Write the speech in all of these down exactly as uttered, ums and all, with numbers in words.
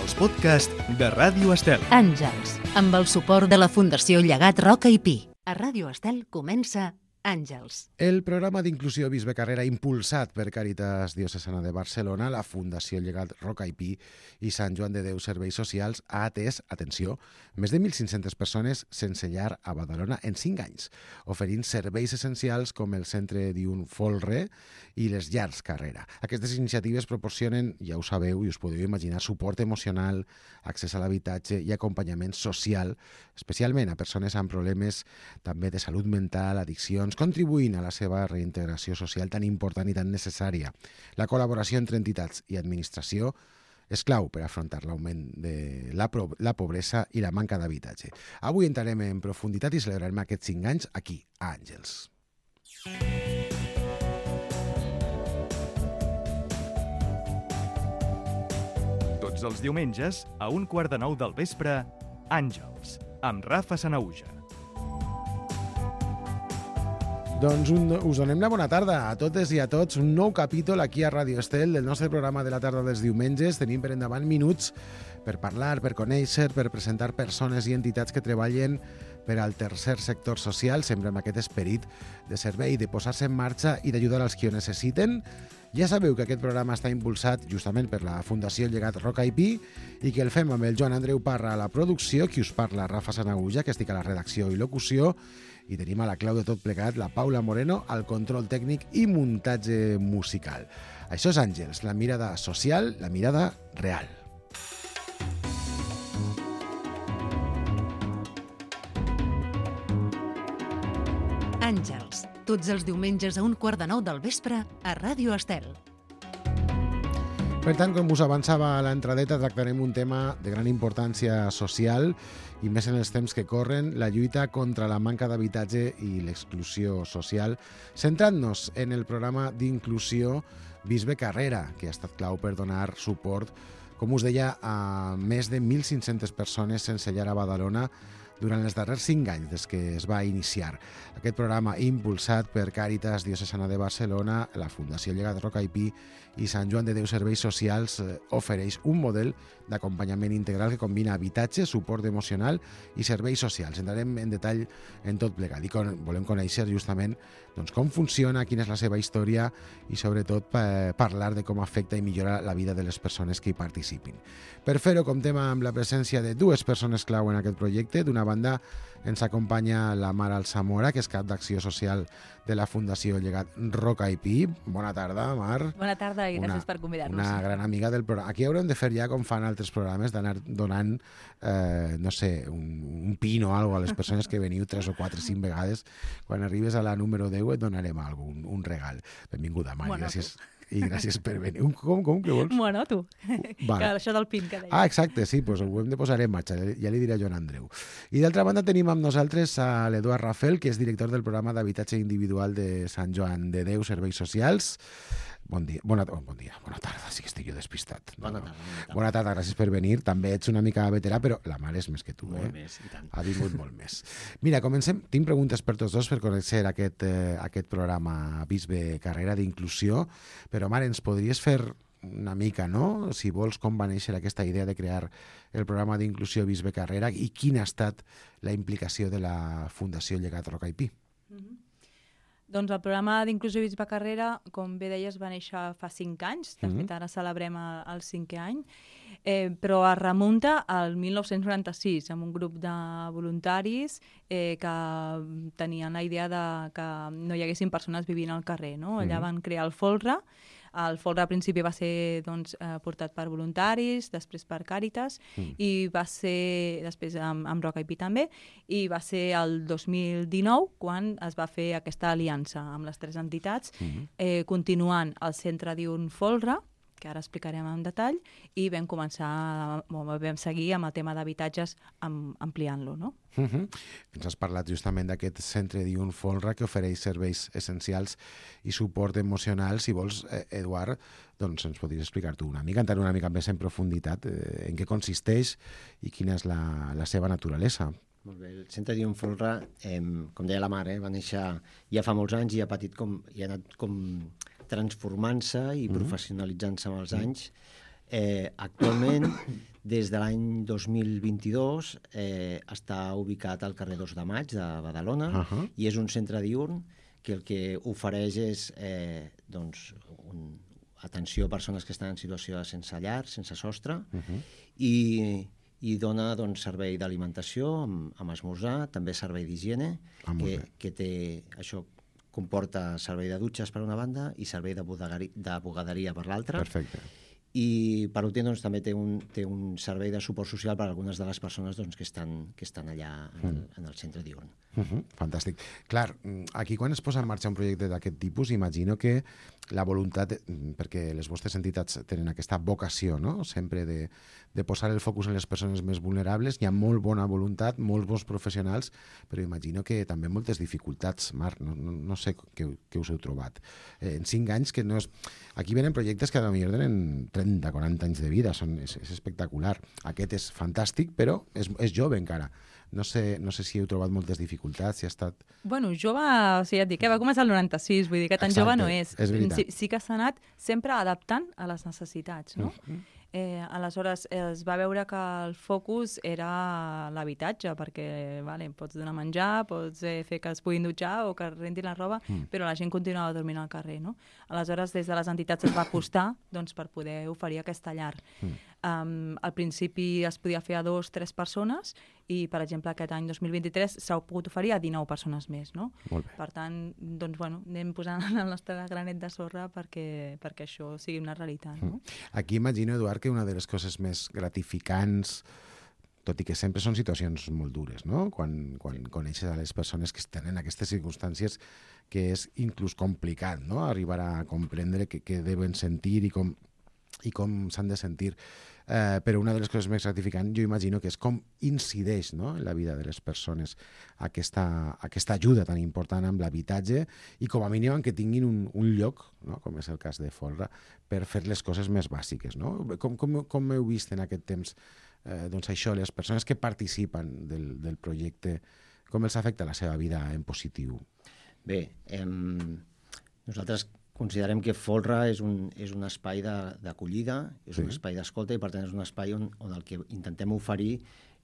els podcasts de Ràdio Estel. Àngels, amb el suport de la Fundació Llegat Roca i Pi. A Ràdio Estel comença Àngels. El programa d'inclusió Bisbe Carrera impulsat per Càritas Diocesana de Barcelona, la Fundació Llegat Roca i Pi i Sant Joan de Déu Serveis Socials ha atès, atenció, més de mil cinc-centes persones sense llar a Badalona en cinc anys, oferint serveis essencials com el centre diürn Folre i les llars Carrera. Aquestes iniciatives proporcionen, ja ho sabeu i us podeu imaginar, suport emocional, accés a l'habitatge i acompanyament social, especialment a persones amb problemes també de salut mental, addiccions, contribuint a la seva reintegració social tan important i tan necessària. La col·laboració entre entitats i administració és clau per afrontar l'augment de la, la pobresa i la manca d'habitatge. Avui entrarem en profunditat i celebrarem aquests cinc anys aquí, a Àngels. Tots els diumenges, a un quart de nou del vespre, Àngels, amb Rafa Sanauja. Doncs un, us donem la bona tarda a totes i a tots. Un nou capítol aquí a Ràdio Estel del nostre programa de la tarda dels diumenges. Tenim per endavant minuts per parlar, per conèixer, per presentar persones i entitats que treballen per al tercer sector social, sempre amb aquest esperit de servei, de posar-se en marxa i d'ajudar als que ho necessiten. Ja sabeu que aquest programa està impulsat justament per la Fundació Llegat Roca i Pi i que el fem amb el Joan Andreu Parra a la producció, qui us parla Rafa Sanauja, que estic a la redacció i locució, i tenim a la clau de tot plegat la Paula Moreno al control tècnic i muntatge musical. Això és Àngels, la mirada social, la mirada real. Àngels, tots els diumenges a un quart de nou del vespre a Ràdio Estel. Per tant, com us avançava a l'entradeta, tractarem un tema de gran importància social i més en els temps que corren, la lluita contra la manca d'habitatge i l'exclusió social, centrant-nos en el programa d'inclusió Bisbe Carrera, que ha estat clau per donar suport, com us deia, a més de mil cinc-centes persones sense llar a Badalona durant els darrers cinc anys des que es va iniciar. Aquest programa impulsat per Càritas Diocesana de Barcelona, la Fundació Llegat Roca i Pi i Sant Joan de Déu Serveis Socials ofereix un model d'acompanyament integral que combina habitatge, suport emocional i serveis socials. Entrarem en detall en tot plegat i con- volem conèixer justament doncs, com funciona, quina és la seva història i sobretot pa- parlar de com afecta i millora la vida de les persones que hi participin. Per fer-ho comptem amb la presència de dues persones clau en aquest projecte. D'una banda ens acompanya la Mar Alsamora, que és cap d'acció social de la Fundació Llegat Roca i Pi. Bona tarda, Mar. Bona tarda i gràcies Una- per convidar-nos. Una gran amiga del programa. Aquí haurem de fer ja, com fan altres programes, d'anar donant, eh, no sé, un, un pin o alguna cosa a les persones que veniu tres o quatre, cinc vegades. Quan arribes a la número deu et donarem alguna un, un regal. Benvinguda, Mar, Bueno, gràcies. I gràcies per venir. Un, com, com, què vols? Bueno, tu. Vale. Que això del pin que deies. Ah, exacte, sí, doncs ho hem de posar en marxa, ja li diré a Joan Andreu. I d'altra banda tenim amb nosaltres a l'Eduard Rafel, que és director del programa d'habitatge individual de Sant Joan de Déu Serveis Socials. Bon dia, bona, oh, bon dia, bona tarda, sí que estic jo despistat. Bona tarda, bona tarda. Bona tarda, gràcies per venir. També ets una mica veterà, però la Mar és més que tu, Molt eh? més, i tant. Ha vingut molt més. Mira, comencem. Tinc preguntes per tots dos per conèixer aquest, eh, aquest programa Bisbe Carrera d'inclusió, però Mar, ens podries fer una mica, no? Si vols, com va néixer aquesta idea de crear el programa d'inclusió Bisbe Carrera i quina ha estat la implicació de la Fundació Llegat Roca i Pi. Mm-hmm. Doncs el programa d'inclusió Bisbe Carrera, com bé deies, va néixer fa cinc anys. De Mhm. fet, ara celebrem el, el cinquè any. Eh, però es remunta al mil nou-cents noranta-sis, amb un grup de voluntaris eh, que tenien la idea de que no hi haguessin persones vivint al carrer, no? Allà Mhm. van crear el Folre. El Folre al principi va ser doncs, eh, portat per voluntaris, després per Càritas, Mm. i va ser, després amb, amb Roca i Pi també, i va ser el dos mil dinou quan es va fer aquesta aliança amb les tres entitats, Mhm. eh, continuant el centre diürn Folre, que ara explicarem en detall, i vam començar, bueno, vam seguir amb el tema d'habitatges am, ampliant-lo, no? Uh -huh. Ens has parlat justament d'aquest centre diürn Folre que ofereix serveis essencials i suport emocional. Si vols, eh, Eduard, doncs ens podries explicar tu una mica, entrar una mica més en profunditat eh, en què consisteix i quina és la, la seva naturalesa. Molt bé, el centre diürn Folre, eh, com deia la Mar, eh, va néixer ja fa molts anys i ha patit com, i ha anat com transformant-se i Mhm. professionalitzant-se amb els anys. Eh, actualment, des de l'any dos mil vint-i-dos, eh, està ubicat al carrer dos de Maig de Badalona, uh-huh. i és un centre diürn que el que ofereix és eh, doncs, un, atenció a persones que estan en situació de sense llar, sense sostre, uh-huh. i, i dona doncs, servei d'alimentació amb, amb esmorzar, també servei d'higiene, ah, que, que té, això comporta servei de dutxes per una banda i servei de, bodegari, de bugaderia per l'altra. Perfecte. I per últim doncs, també té un, té un servei de suport social per a algunes de les persones doncs, que, estan, que estan allà en el, en el centre diürn. Uh-huh, fantàstic. Clar, aquí quan es posa en marxa un projecte d'aquest tipus, imagino que la voluntat, perquè les vostres entitats tenen aquesta vocació, no?, sempre de, de posar el focus en les persones més vulnerables, hi ha molt bona voluntat, molts bons professionals, però imagino que també moltes dificultats, Marc, no, no, no sé què, què us heu trobat. Eh, en cinc anys, que no és... Aquí venen projectes que potser tenen trenta, quaranta anys de vida, són, és, és espectacular. Aquest és fantàstic, però és, és jove encara. No sé, no sé si heu trobat moltes dificultats, si ha estat... Bueno, jove, o sigui, et dic, eh, va començar el noranta-sis, vull dir que tan Exacte, jove no és. és veritat. Sí, sí que s'ha anat sempre adaptant a les necessitats, no? Uh-huh. Eh, aleshores, es va veure que el focus era l'habitatge, perquè vale, pots donar menjar, pots eh, fer que es puguin dutxar o que rentin la roba, mm. però la gent continuava dormint al carrer, no? Aleshores, des de les entitats es va apostar doncs, per poder oferir aquesta llar. Mm. Um, al principi es podia fer a dos, tres persones i, per exemple, aquest any dos mil vint-i-tres s'ha pogut oferir a dinou persones més, no? Molt bé. Per tant, doncs, bueno, anem posant el nostre granet de sorra perquè, perquè això sigui una realitat, no? Mm. Aquí imagino, Eduard, que una de les coses més gratificants, tot i que sempre són situacions molt dures, no?, quan, quan coneixes a les persones que estan en aquestes circumstàncies, que és inclús complicat, no?, arribar a comprendre què, què deuen sentir i com, i com s'han de sentir. Eh, però una de les coses més gratificants, jo imagino que és com incideix, no?, en la vida de les persones aquesta, aquesta ajuda tan important amb l'habitatge i com a mínim en que tinguin un, un lloc, no?, com és el cas de Folra, per fer les coses més bàsiques, no? Com, com, com heu vist en aquest temps eh, doncs això, les persones que participen del, del projecte, com els afecta la seva vida en positiu? Bé, eh, nosaltres considerem que Folra és un, és un espai d'acollida, és sí. un espai d'escolta i per tant és un espai on, on el que intentem oferir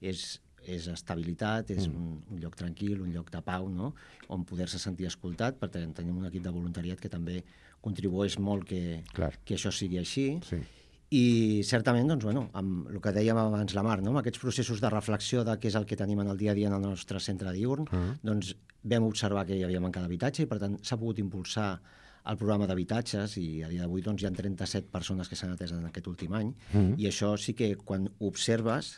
és, és estabilitat, és mm. un, un lloc tranquil, un lloc de pau, no?, on poder-se sentir escoltat, perquè tenim un equip de voluntariat que també contribueix molt que, que això sigui així. Sí. I certament, doncs, bueno, amb el que dèiem abans la Mar, no?, amb aquests processos de reflexió de què és el que tenim en el dia a dia en el nostre centre diürn, uh-huh. doncs vam observar que hi havia manca d'habitatge i per tant s'ha pogut impulsar el programa d'habitatges i a dia d'avui doncs, hi ha trenta-set persones que s'han atès en aquest últim any mm. i això sí que quan observes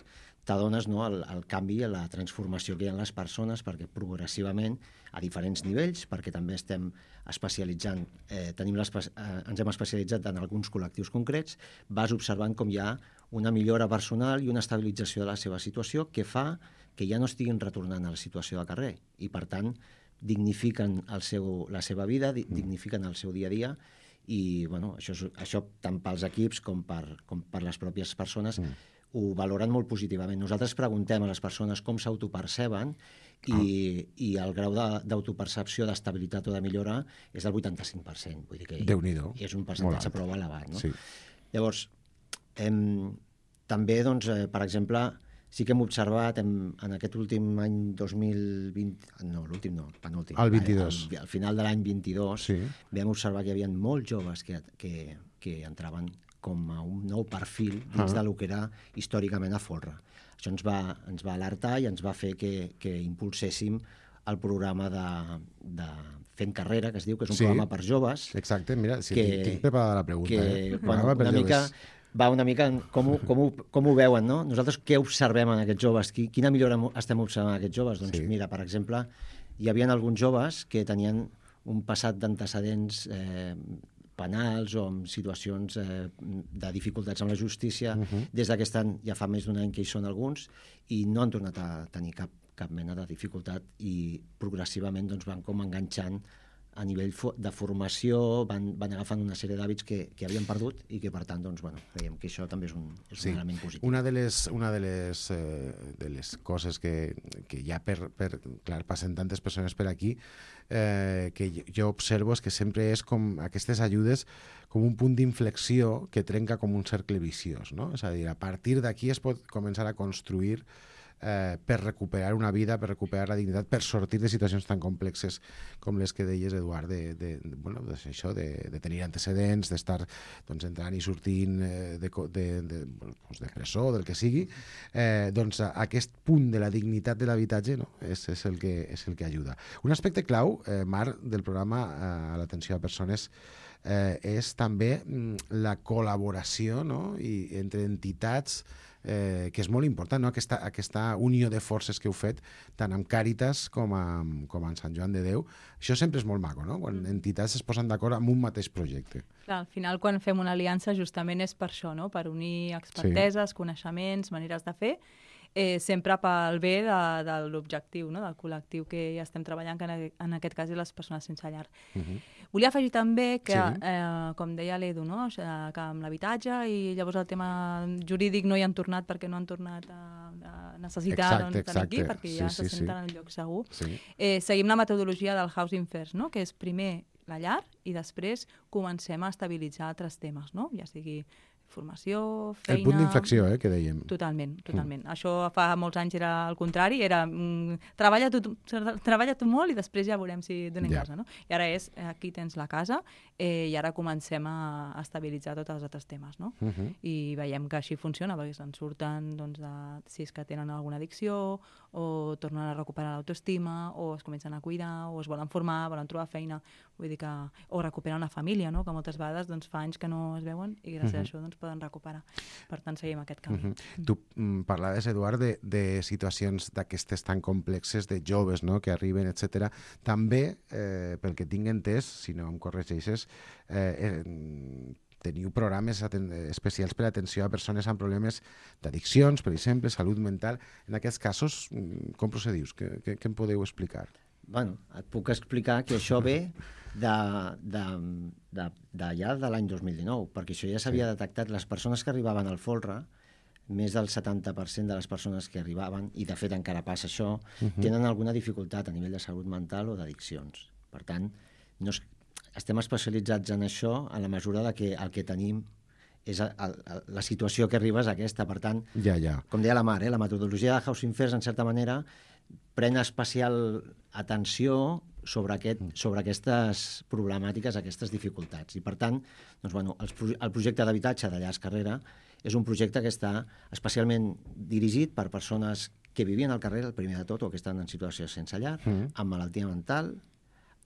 t'adones, no, el, el canvi, la transformació que hi ha en les persones perquè progressivament a diferents nivells, perquè també estem especialitzant, eh, tenim eh, ens hem especialitzat en alguns col·lectius concrets, vas observant com hi ha una millora personal i una estabilització de la seva situació que fa que ja no estiguin retornant a la situació de carrer i per tant dignifiquen el seu, la seva vida, dignifiquen el seu dia a dia i bueno, això, això tant pels equips com per, com per les pròpies persones mm. ho valoren molt positivament. Nosaltres preguntem a les persones com s'autoperceben i, ah. i el grau d'autopercepció, d'estabilitat o de millora és del vuitanta-cinc per cent. Vull dir que és un percentatge prou elevat. No? Sí. Llavors, hem, també, doncs, eh, per exemple, sí que hem observat en, en aquest últim any dos mil vint... No, l'últim no, penúltim. El vint-i-dos. Al, al final de l'any vint-i-dos sí. vam observar que hi havia molts joves que, que, que entraven com a un nou perfil dins ah. del que era històricament a Folra. Això ens va, ens va alertar i ens va fer que, que impulséssim el programa de, de Fent Carrera, que es diu, que és un sí. programa per joves. Exacte, mira, si que, tinc preparada la pregunta. Que, eh? bueno, una mica... va una mica en com ho, com, ho, com ho veuen, no? Nosaltres què observem en aquests joves? Quina millora estem observant en aquests joves? Doncs sí. mira, per exemple, hi havia alguns joves que tenien un passat d'antecedents eh, penals o amb situacions eh, de dificultats amb la justícia. Uh-huh. Des d'aquest any, ja fa més d'un any que hi són alguns, i no han tornat a tenir cap, cap mena de dificultat i progressivament doncs, van com enganxant a nivell de formació van, van agafant una sèrie d'hàbits que, que havien perdut i que, per tant, doncs, bueno, creiem que això també és un, és sí. un element positiu. Una de les, una de les, eh, de les coses que, que ja, per, per, clar, passen tantes persones per aquí, eh, que jo observo és que sempre és com aquestes ajudes com un punt d'inflexió que trenca com un cercle viciós, no? És a dir, a partir d'aquí es pot començar a construir Eh, per recuperar una vida, per recuperar la dignitat, per sortir de situacions tan complexes com les que deies, Eduard, de, de, de, bueno, de, això, de, de tenir antecedents, d'estar doncs, entrant i sortint eh, de, de, de, doncs, de presó, del que sigui. Eh, doncs aquest punt de la dignitat de l'habitatge, no? és, és, el que, és el que ajuda. Un aspecte clau, eh, Marc, del programa eh, a l'atenció a persones eh, és també mm, la col·laboració, no? I, entre entitats, Eh, que és molt important, no? aquesta, aquesta unió de forces que heu fet tant amb Càritas com amb, com amb Sant Joan de Déu. Això sempre és molt maco, no? Quan mm. entitats es posen d'acord amb un mateix projecte. Clar, al final, quan fem una aliança, justament és per això, no? Per unir experteses, sí. coneixements, maneres de fer, eh, sempre pel bé de, de l'objectiu, no? Del col·lectiu que ja estem treballant, que en, en aquest cas és les persones sense llar. Uh -huh. Volia afegir també que, sí. eh, com deia l'Edu, no? O sigui, que amb l'habitatge i llavors el tema jurídic no hi han tornat perquè no han tornat a, a necessitar exacte, doncs, aquí, perquè ja sí, se sí, senten sí. en el lloc segur. Sí. Eh, seguim la metodologia del Housing First, no? Que és primer la llar i després comencem a estabilitzar altres temes, no? Ja sigui formació, feina... El punt d'inflexió, eh, que dèiem. Totalment, totalment. Mm. Això fa molts anys era el contrari, era mm, treballa, tu, treballa tu molt i després ja veurem si donem yeah. casa, no? I ara és, aquí tens la casa eh, i ara comencem a, a estabilitzar tots els altres temes, no? Uh -huh. I veiem que així funciona, perquè se'n surten, doncs, de, si és que tenen alguna addicció, o tornen a recuperar l'autoestima, o es comencen a cuidar, o es volen formar, volen trobar feina, vull dir que... o recuperen una família, no? Que moltes vegades doncs, fa anys que no es veuen i gràcies uh -huh. a això doncs, poden recuperar. Per tant, seguim aquest camí. Uh -huh. Tu mm, parlaves, Eduard, de, de situacions d'aquestes tan complexes, de joves, no?, que arriben, etcètera. També, eh, pel que tinc entès, si no em corregeixes, eh, eh, teniu programes especials per a atenció a persones amb problemes d'addiccions, per exemple, salut mental. En aquests casos, com procedius? Què, què, què em podeu explicar? Bueno, et puc explicar que això ve de, de, de, de ja de l'any dos mil dinou, perquè això ja s'havia sí. detectat. Les persones que arribaven al Folra, més del setanta per cent de les persones que arribaven, i de fet encara passa això, uh-huh. tenen alguna dificultat a nivell de salut mental o d'addiccions. Per tant, no es, estem especialitzats en això a la mesura de que el que tenim és el, el, la situació que arriba és aquesta. Per tant, ja, ja. com deia la Mar, eh, la metodologia de Housing First, en certa manera, pren especial atenció sobre, aquest, sobre aquestes problemàtiques, aquestes dificultats. I, per tant, doncs, bueno, el, el projecte d'habitatge de Llars Carrera és un projecte que està especialment dirigit per persones que vivien al carrer, el primer de tot, o que estan en situació sense llar, mm. amb malaltia mental,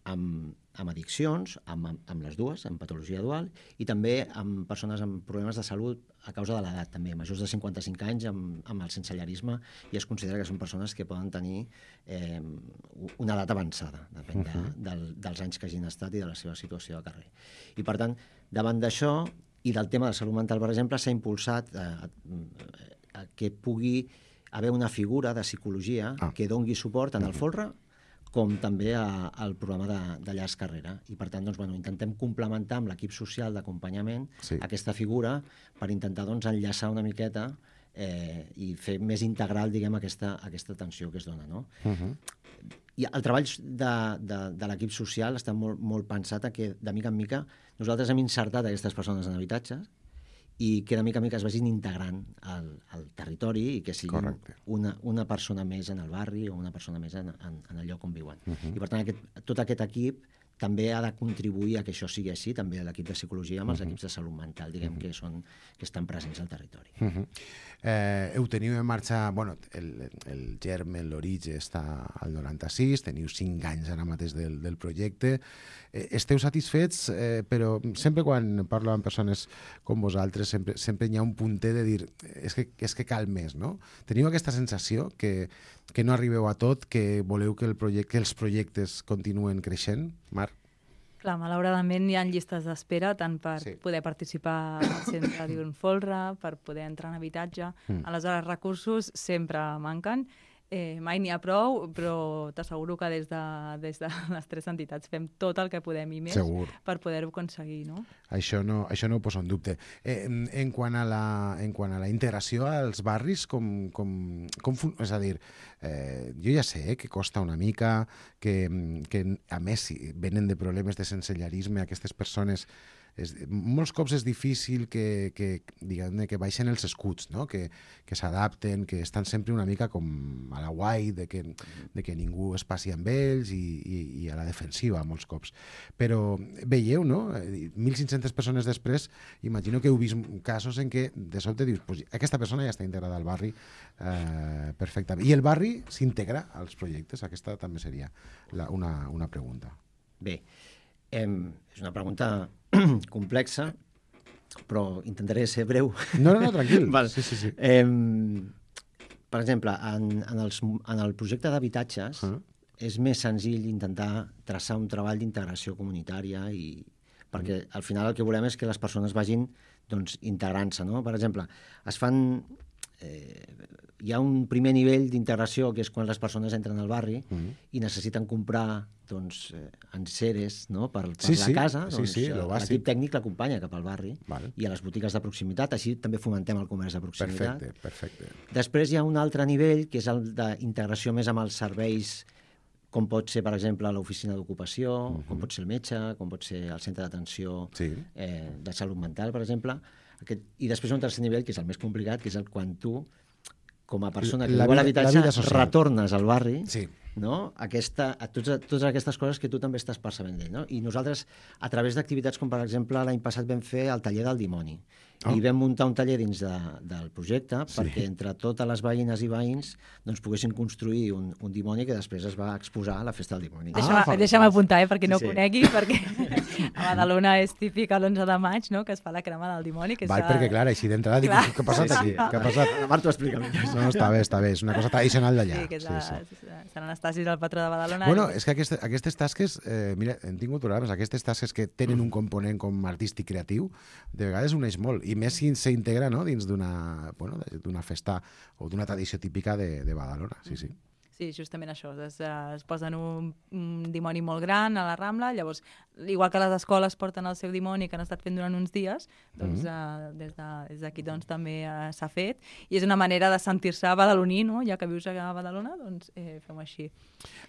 amb, amb addiccions, amb, amb les dues, amb patologia dual, i també amb persones amb problemes de salut a causa de l'edat, també, majors de cinquanta-cinc anys, amb, amb el sensellarisme, i es considera que són persones que poden tenir eh, una edat avançada, depèn de, uh-huh. del, dels anys que hagin estat i de la seva situació de carrer. I, per tant, davant d'això, i del tema de salut mental, per exemple, s'ha impulsat a, a, a que pugui haver una figura de psicologia ah. que dongui suport tant al Folra com també a, al programa de, de Llars Carrera. I, per tant, doncs, bueno, intentem complementar amb l'equip social d'acompanyament sí. aquesta figura per intentar doncs, enllaçar una miqueta eh, i fer més integral, diguem, aquesta, aquesta atenció que es dona, no? Uh-huh. I el treball de, de, de l'equip social està molt, molt pensat a que, de mica en mica, nosaltres hem insertat aquestes persones en habitatges i que de mica en mica es vagin integrant al, al territori i que siguin una, una persona més en el barri o una persona més en, en, en el lloc on viuen. Uh-huh. I, per tant, aquest, tot aquest equip també ha de contribuir a que això sigui així, també l'equip de psicologia amb els uh-huh. equips de salut mental, diguem, uh-huh. que, són, que estan presents al territori. Uh-huh. Eh, heu teniu en marxa, bueno, el, el germen, l'origen està al noranta-sis, teniu cinc anys ara mateix del, del projecte. Eh, esteu satisfets, eh, però sempre quan parlo amb persones com vosaltres, sempre, sempre hi ha un punter de dir és que, és que cal més, no? Teniu aquesta sensació que, que no arribeu a tot, que voleu que, el projecte, que els projectes continuen creixent, Marc? Clar, malauradament hi ha llistes d'espera tant per sí. poder participar al centre d'un Folra, per poder entrar en habitatge. Mm. Aleshores, recursos sempre manquen. Eh, mai n'hi ha prou, però t'asseguro que des de, des de les tres entitats fem tot el que podem i més Segur. per poder-ho aconseguir, no? Això no, això no ho poso en dubte. Eh, en, en, quant a la, en quant a la integració als barris, com, com, com fun... és a dir, eh, jo ja sé que costa una mica, que, que a més si venen de problemes de sensellarisme aquestes persones. És, molts cops és difícil que, que, diguem, que baixen els escuts, no? que, que s'adapten, que estan sempre una mica com a la guai, de que, de que ningú es passi amb ells i, i, i a la defensiva molts cops. Però veieu, no? mil cinc-centes persones després, imagino que heu vist casos en què de sobte dius, pues, aquesta persona ja està integrada al barri eh, perfectament. I el barri s'integra als projectes? Aquesta també seria la, una, una pregunta. Bé, eh, és una pregunta complexa, però intentaré ser breu. No, no, no, tranquil. Val. Sí, sí, sí. Eh, per exemple, en, en, els, en el projecte d'habitatges uh-huh. és més senzill intentar traçar un treball d'integració comunitària i perquè uh-huh. al final el que volem és que les persones vagin doncs, integrant-se. No? Per exemple, es fan... Eh, hi ha un primer nivell d'integració que és quan les persones entren al barri uh-huh. i necessiten comprar doncs, eh, enseres no? per, per sí, la sí. casa. Sí, doncs, sí, l'equip tècnic l'acompanya cap al barri vale. i a les botigues de proximitat. Així també fomentem el comerç de proximitat. Perfecte, perfecte. Després hi ha un altre nivell que és el d'integració més amb els serveis, com pot ser, per exemple, l'oficina d'ocupació, uh-huh. com pot ser el metge, com pot ser el centre d'atenció sí. eh, de salut mental, per exemple. Aquest... I després hi ha un tercer nivell, que és el més complicat, que és el quan tu, com a persona que viu a l'habitatge, retornes al barri, sí. no? Aquesta, a tots, a totes aquestes coses que tu també estàs percebent d'ell. No? I nosaltres, a través d'activitats com, per exemple, l'any passat vam fer el taller del dimoni. Oh. I vam muntar un taller dins de, del projecte sí. perquè entre totes les veïnes i veïns doncs, poguessin construir un, un dimoni que després es va exposar a la festa del dimoni. Deixa'm, ah, deixa'm apuntar, eh, perquè no sí, ho conegui, perquè a Badalona és típic l'onze de maig, no?, que es fa la crema del dimoni. Que Val, s'ha... perquè clar, així d'entrada dic, què ha passat aquí? Què ha passat? La Marta ho explica millor. No, està bé, està bé, és una cosa tradicional d'allà. Sí, que és sí, la, sí. Sant Anastasi, el patró de Badalona. Bueno, és que aquestes, aquestes tasques, eh, mira, hem tingut programes, aquestes tasques que tenen un component com artístic creatiu, de vegades uneix molt, i més si s'integra no, dins d'una bueno, d'una festa o d'una tradició típica de, de Badalona, sí, sí. Sí, justament això, es, es posen un, un dimoni molt gran a la Rambla, llavors, igual que les escoles porten el seu dimoni que han estat fent durant uns dies, doncs mm-hmm. uh, des, de, des d'aquí doncs, també uh, s'ha fet, i és una manera de sentir-se badaloní, no? Ja que vius a Badalona, doncs eh, fem així.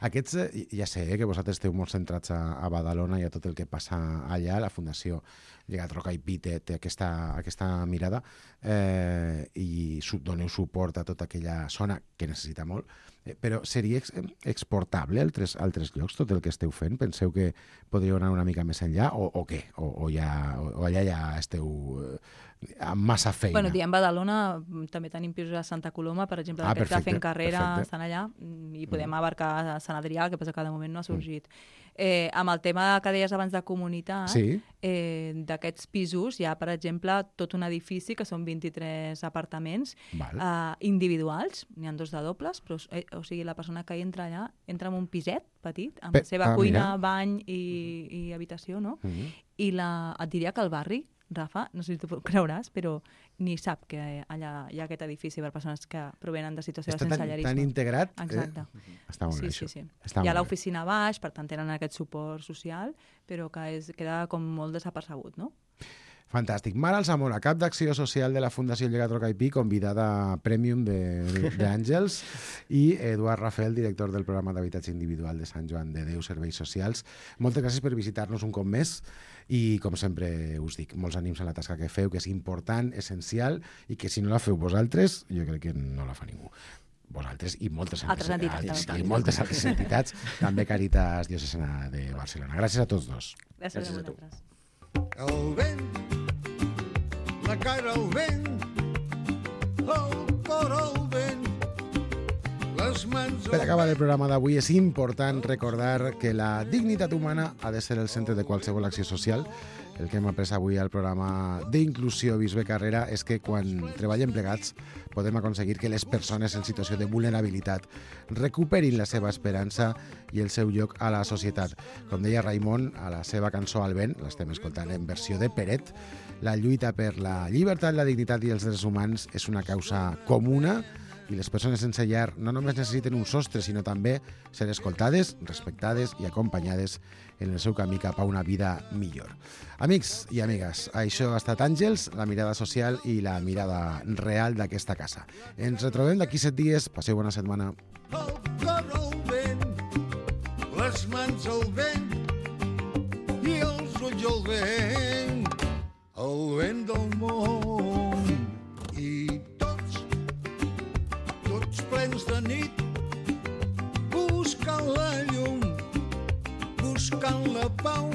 Aquests, eh, ja sé eh, que vosaltres esteu molt centrats a, a Badalona i a tot el que passa allà, la Fundació Llegat Roca i Pi té, té aquesta, aquesta mirada eh, i su, doneu suport a tota aquella zona que necessita molt, eh, però seria ex, exportable a altres, altres llocs tot el que esteu fent? Penseu que podríeu anar una mica més enllà o, o què? O, o, ja, o, o allà ja esteu eh, amb massa feina? Bueno, diem Badalona, també tenim pisos a Santa Coloma, per exemple, ah, d'aquests de Fent Carrera, perfecte. Estan allà, i podem mm. abarcar a Sant Adrià, que passa que de moment no ha sorgit. Mm. Eh, amb el tema que deies abans de comunitat, sí. eh, d'aquests pisos hi ha, per exemple, tot un edifici que són vint-i-tres apartaments eh, individuals, n'hi ha dos de dobles, però eh, o sigui, la persona que hi entra allà entra en un piset petit, amb Pe la seva ah, cuina, mira. bany i, i habitació, no? Mm-hmm. I la, et diria que el barri, Rafa, no sé si tu creuràs, però ni sap que allà hi ha aquest edifici per persones que provenen de situació Està de sensellarisme. Està tan integrat. Exacte. Eh? Està molt sí, bé, sí, sí. Està hi ha l'oficina baix, per tant tenen aquest suport social, però que és, queda com molt desapercebut, no? Fantàstic. Mar Alsamora, cap d'acció social de la Fundació Llegat Roca i Pi, convidada premium d'Àngels, i Eduard Rafel, director del programa d'habitatge individual de Sant Joan de Déu, Serveis Socials. Moltes gràcies per visitar-nos un cop més i, com sempre us dic, molts ànims a la tasca que feu, que és important, essencial, i que si no la feu vosaltres, jo crec que no la fa ningú. Vosaltres i moltes altres entitats, i moltes altres entitats, també Càritas Diocesana de Barcelona. Gràcies a tots dos. Gràcies, Gràcies a vosaltres. El vent, la cara al vent, el cor al vent, les mans... Per acabar el programa d'avui és important recordar que la dignitat humana ha de ser el centre de qualsevol acció social. El que hem après avui al programa d'inclusió Bisbe Carrera és que quan treballem plegats podem aconseguir que les persones en situació de vulnerabilitat recuperin la seva esperança i el seu lloc a la societat. Com deia Raimon a la seva cançó Al vent, l'estem escoltant en versió de Peret, la lluita per la llibertat, la dignitat i els drets humans és una causa comuna i les persones sense llar no només necessiten un sostre, sinó també ser escoltades, respectades i acompanyades en el seu camí cap a una vida millor. Amics i amigues, això ha estat Àngels, la mirada social i la mirada real d'aquesta casa. Ens retrobem d'aquí set dies. Passeu bona setmana. El cor al vent, les mans al vent i els ulls al vent, el vent del món. I tots, tots plens de nit, buscant la llum, buscant la pau,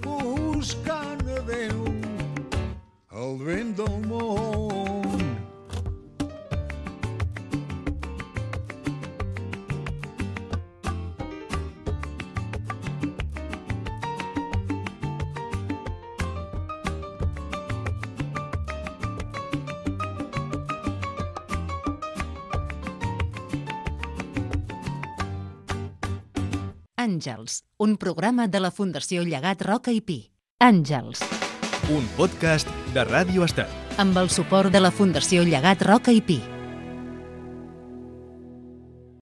buscant a Déu, el vent del món. Àngels, un programa de la Fundació Llegat Roca i Pi. Àngels. Un podcast de Ràdio Estel. Amb el suport de la Fundació Llegat Roca i Pi.